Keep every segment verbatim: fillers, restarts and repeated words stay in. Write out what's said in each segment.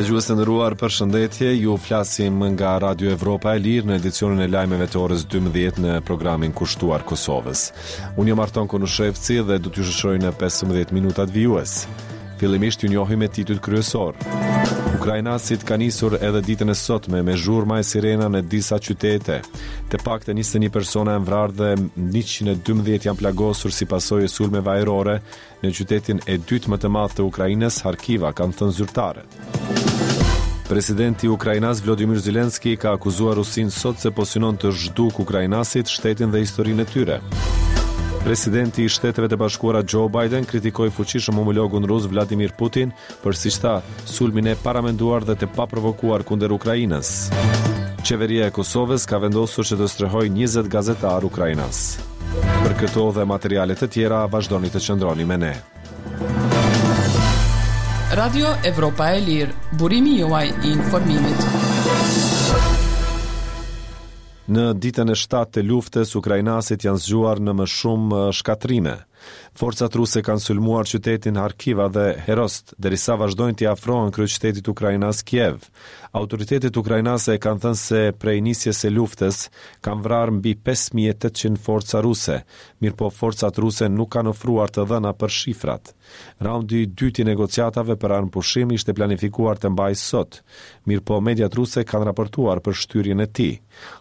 Dëgjues të nderuar, përshëndetje. Ju flasim nga Radio Evropa e Lirë në edicionin e lajmeve të orës dymbëdhjetë në programin kushtuar Kosovës. Unë jam Arton Konushevci dhe do t'ju shoqëroj në pesëmbëdhjetë minutat vijues. Fillimisht ju njohim me titujt kryesor. Ukrainasit kanë nisur edhe ditën e sotme me zhurma e sirena në disa qytete. Të paktën njëzet e një persona janë vrarë dhe njëqind e dymbëdhjetë janë plagosur si pasojë e sulmeve ajrore në qytetin e dytë më të madh të Ukrainës, Harkiva, kanë thënë zyrtarët. Presidenti ukrainas Vladimir Zelensky ka akuzuar Rusinë sot se po synon të zhduk ukrainasit, shtetin dhe historinë e tyre. Presidenti i Shteteve të Bashkuara Joe Biden kritikoi fuqishëm homologun rus Vladimir Putin për, siç tha, sulmin e paramenduar dhe të paprovokuar kundër Ukrainës. Qeveria e Kosovës ka vendosur që të strehojë njëzet gazetarë ukrainas. Për këto dhe materiale të tjera, vazhdoni të qëndroni me ne. Radio Evropa e Lirë, burimi juaj i informimit. Në ditën e shtatë të luftës, ukrainasit janë zgjuar në më shumë shkatrime. Forcat ruse kanë sulmuar qytetin Harkiva dhe Herost, derisa vazhdojnë t'i afrohen kryeqytetit ukrainas Kiev. Autoritetet ukrainase kanë thënë se prej nisjes së luftës kanë vrarë mbi pesë mijë e tetëqind forca ruse, mirëpo forcat ruse nuk kanë ofruar të dhëna për shifrat. Raundi i dytë i negociatave për armëpushim ishte planifikuar të mbajë sot, mirëpo mediat ruse kanë raportuar për shtyrjen e tij.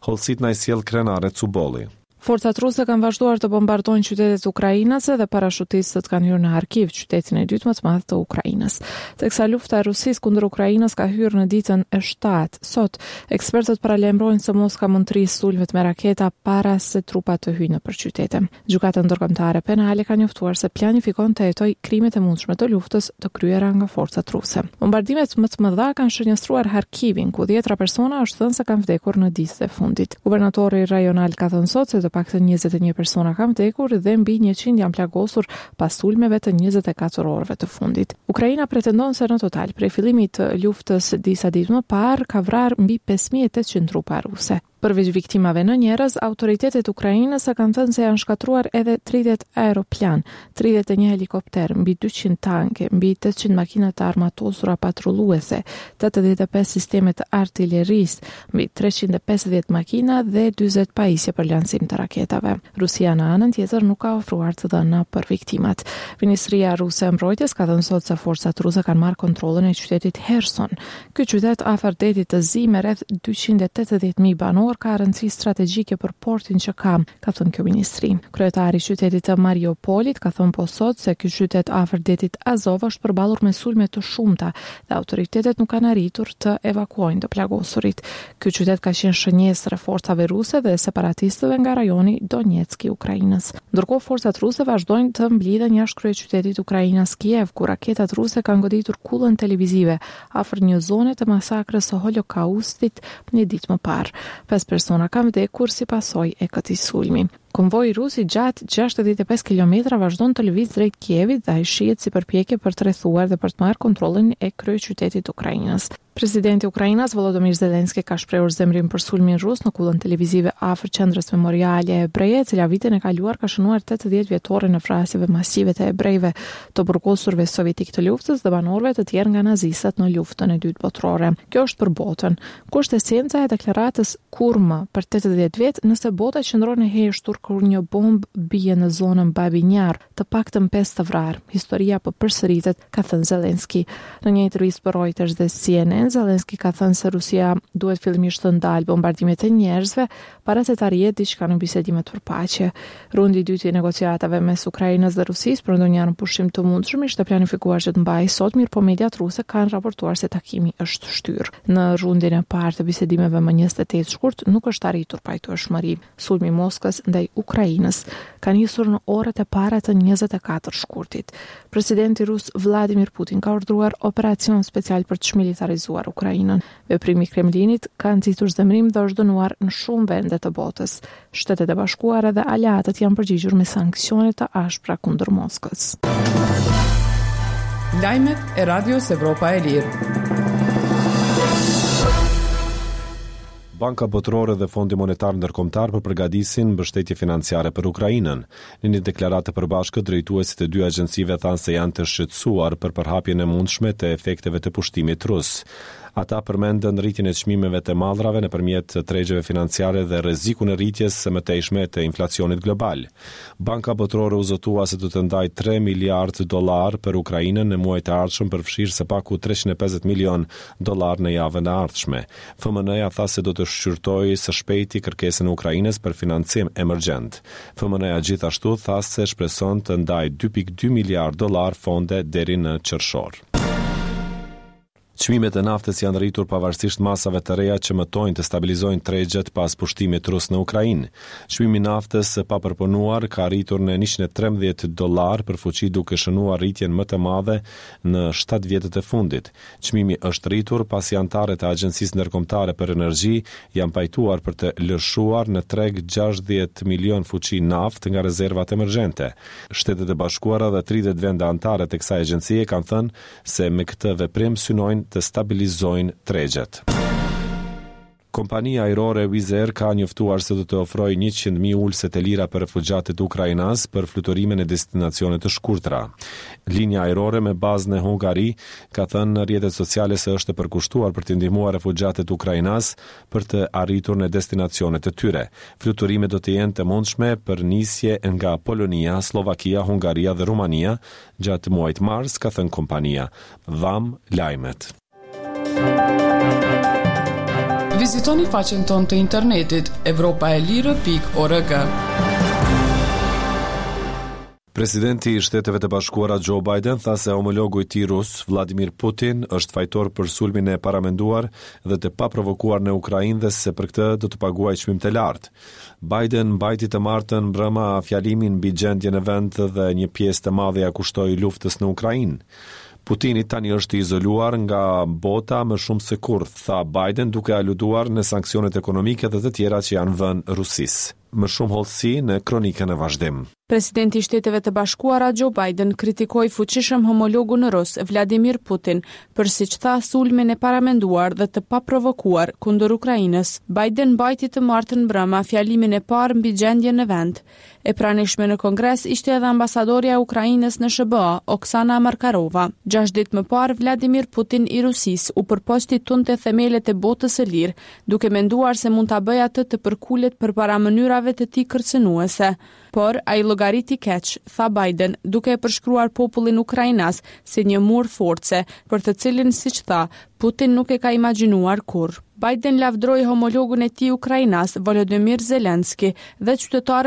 Hollësit na i sjell Krenare Cubolli. Forcat ruse kanë vazhduar të bombardojnë qytetet ukrainase dhe parashutistët kanë hyrë në Harkiv, qytetin e dytë më të madh të Ukrainës. Teksa lufta e Rusisë kundër Ukrainës ka hyrë në ditën e shtatë, sot ekspertët paralajmërojnë se Moska mund të rrisë sulmet me raketa para se trupat të hyjnë nëpër qytete. Gjykata Ndërkombëtare Penale ka njoftuar se planifikon të hetojë krimet e mundshme të luftës të kryera nga forcat ruse. Bombardimet më të mëdha kanë shënjestruar Harkivin, ku dhjetra persona është thënë se kanë vdekur në ditët e fundit. Guvernatori rajonal ka thënë sot se të paktën njëzet e një persona kanë vdekur dhe mbi njëqind janë plagosur pas sulmeve të njëzet e katër orëve të fundit. Ukraina pretendon se në total prej fillimit të luftës disa ditë më parë ka vrarë mbi pesë mijë e tetëqind trupa ruse. Përveç viktimave në njerëz, autoritetet ukrainase kanë thënë se janë shkatruar edhe tridhjetë aeroplan, tridhjetë e një helikopter, mbi dyqind tanke, mbi tetëqind makina të armatosura patrulluese, tetëdhjetë e pesë sisteme të artillerisë, mbi treqind e pesëdhjetë makina dhe dyzet pajisje për lansim të raketave. Rusia në anën tjetër nuk ka ofruar të dhëna për viktimat. Ministria ruse e Mbrojtjes ka thënë sot se forcat ruse kanë marrë kontrollin e qytetit Herson. Ky qytet afër detit të Zi me rreth dyqind e tetëdhjetë mijë banorë ka rëndësi strategjike për portin që ka, ka thënë kjo ministri. Kryetari i qytetit të Mariupolit ka thënë po sot se ky qytet afër detit Azov është përballur me sulme të shumta dhe autoritetet nuk kanë arritur të evakuojnë të plagosurit. Ky qytet ka qenë shënjestër e forcave ruse dhe separatistëve nga rajoni Donetsk i Ukrainës. Ndërkohë forcat ruse vazhdojnë të mblidhen jashtë kryeqytetit ukrainas Kiev, ku raketat ruse kanë goditur kullën televizive afër një zone të masakrës së Holokaustit një ditë më parë. Pesë persona kanë vdekur si pasojë e këtij sulmi. Konvoi rus i gjatë gjashtëdhjetë e pesë kilometra vazhdon të lëvizë drejt Kievit dhe ai shihet si përpjekje për të rrethuar dhe për të marrë kontrollin e kryeqytetit Ukrainës. Presidenti ukrainas Volodymyr Zelensky ka shprehur zemrim për sulmin rus në kullën televizive afër qendrës memoriale hebreje, e cila vitin e kaluar ka shënuar tetëdhjetë vjetorin e vrasjeve masive të hebrejve, të burgosurve sovjetik të luftës dhe banorëve të tjerë nga nazistët në luftën e dytë botërore. Kjo është për botën. Ku është esenca e deklaratës kurrë për tetëdhjetë vjet nëse bota qëndron e heshtur kur një bombë bie në zonën Babinjar, të paktën pesë të vrarë. Historia po përsëritet, ka thënë Zelensky. Në një intervistë për Reuters dhe C N N, Zelensky ka thënë se Rusia duhet fillimisht të ndalë bombardimet e njerëzve para se të arrihet diçka në bisedimet për paqe. Rundi i dytë i negociatave mes Ukrainës dhe Rusisë për ndonjë armëpushim të mundshëm ishte planifikuar që të mbahej sot, mirëpo mediat ruse kanë raportuar se takimi është shtyrë. Në rundin e parë të bisedimeve më njëzet e tetë shkurt nuk është arritur pajtueshmëri. Sulmi i Moskës ndaj Ukrainës ka nisur në orët e para të njëzet e katër shkurtit. Presidenti rus Vladimir Putin ka urdhëruar operacion special për të çmilitarizuar Ukrainën. Veprimi i Kremlinit ka nxitur zemërim dhe është dënuar në shumë vende të botës. Shtetet e Bashkuara dhe aleatët janë përgjigjur me sanksione të ashpra kundër Moskës. Lajmet e Radios Evropa e Lirë. Banka Botërore dhe Fondi Monetar Ndërkombëtar po përgatisin mbështetje financiare për Ukrainën. Në një deklaratë të përbashkët, drejtuesit e dy agjencive thanë se janë të shqetësuar për përhapjen e mundshme të efekteve të pushtimit rus. Ata përmendën rritjen e çmimeve të mallrave nëpërmjet tregjeve financiare dhe rrezikun e rritjes së mëtejshme të inflacionit global. Banka Botërore u zotua se do të ndajë tre miliard dollar për Ukrainën në muajt e ardhshëm, përfshirë së paku treqind e pesëdhjetë milion dollar në javën e ardhshme. F M N-ja tha se do të shqyrtojë së shpejti kërkesën e Ukrainës për financim emergjent. F M N-ja gjithashtu tha se shpreson të ndajë dy pikë dy miliard dollar fonde deri në qershor. Çmimet e naftës janë rritur pavarësisht masave të reja që mëtojnë të stabilizojnë tregjet pas pushtimit rus në Ukrainë. Çmimi i naftës së papërpunuar ka arritur në njëqind e trembëdhjetë dollar për fuçi, duke shënuar rritjen më të madhe në shtatë vjetët e fundit. Çmimi është rritur pasi anëtarët e Agjencisë Ndërkombëtare për Energji janë pajtuar për të lëshuar në treg gjashtëdhjetë milion fuçi naftë nga rezervat emergjente. Shtetet e Bashkuara dhe tridhjetë vende anëtare të kësaj agjencie kanë thënë se me këtë veprim synojnë të stabilizojnë tregjet. Kompania ajrore Wizz Air ka njoftuar se do të ofrojë njëqind mijë ulëse të lira për refugjatët ukrainas për fluturime në destinacione të shkurtra. Linja ajrore me bazë në Hungari ka thënë në rrjetet sociale se është e përkushtuar për të ndihmuar refugjatët ukrainas për të arritur në destinacionet e tyre. Fluturimet do të jenë të mundshme për nisje nga Polonia, Slovakia, Hungaria dhe Rumania gjatë muajit mars, ka thënë kompania. Dham lajmet. Vizitoni faqen tonë të internetit evropaelire pikë org. Presidenti i Shteteve të Bashkuara Joe Biden tha se homologu i tij rus Vladimir Putin është fajtor për sulmin e paramenduar dhe të paprovokuar në Ukrainë dhe se për këtë do të paguajë çmim të lartë. Biden mbajti të martën mbrëma fjalimin mbi gjendjen në vend dhe një pjesë të madhe ja kushtoi luftës në Ukrainë. Putini tani është i izoluar nga bota më shumë se kurrë, tha Biden, duke aluduar në sanksionet ekonomike dhe të tjera që janë vënë Rusisë. Më shumë hollësi në kronikën e vazhdim. Presidenti i Shteteve të Bashkuara Joe Biden kritikoi fuqishëm homologun rus Vladimir Putin për, siç tha, sulmin e paramenduar dhe të paprovokuar kundër Ukrainës. Biden mbajti të martën mbrëma fjalimin e parë mbi gjendjen në vend. E pranishme në Kongres ishte edhe ambasadorja e Ukrainës në S H B A, Oksana Markarova. Gjashtë ditë më parë, Vladimir Putin i Rusisë u përpoq t'i tundte themelet e botës së lirë, duke menduar se mund ta bëjë atë të përkulet përpara mënyrave të tij kërcënuese. Por ai llogariti keq, tha Biden, duke e përshkruar popullin ukrainas si një mur force, për të cilin, siç tha, Putin nuk e ka imagjinuar kurrë. Biden lavdroi homologun e tij ukrainas Volodymyr Zelensky dhe qytetarët